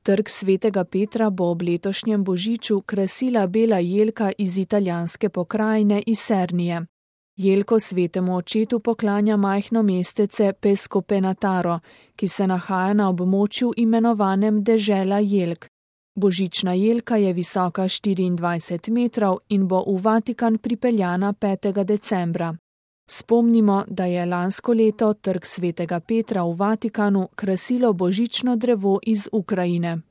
Trg Svetega Petra bo ob letošnjem božiču krasila bela jelka iz italijanske pokrajine Isernije. Jelko svetemu očetu poklanja majhno mestece Pescopenataro, ki se nahaja na območju imenovanem Dežela jelk. Božična jelka je visoka 24 metrov in bo v Vatikan pripeljana 5. decembra. Spomnimo, da je lansko leto Trg Svetega Petra v Vatikanu krasilo božično drevo iz Ukrajine.